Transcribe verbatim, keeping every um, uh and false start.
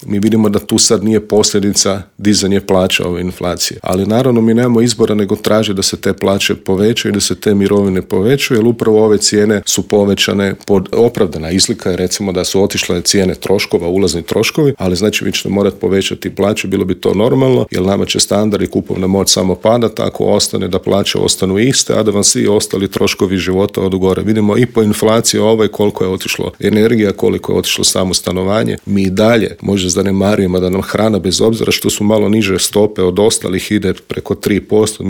Mi vidimo da tu sad nije posljedica dizanje plaća ove inflacije. Ali naravno mi nemamo izbora nego traži da se te plaće povećaju i da se te mirovine povećaju, jer upravo ove cijene su povećane pod opravdana izlika je recimo da su otišle cijene troškova, ulazni troškovi, ali znači vi ćete morati povećati plaću, bilo bi to normalno, jer nama će standard i kupovna moć samo padati ako ostane da plaće ostanu iste, a da vam svi ostali troškovi života odu gore. Vidimo i po inflaciji ovaj koliko je otišlo energija, koliko je otišlo samo stanovanje. Mi i dalje možda zanemarujemo da nam hrana, bez obzira što su malo niže stope od ostalih, ide preko tri posto,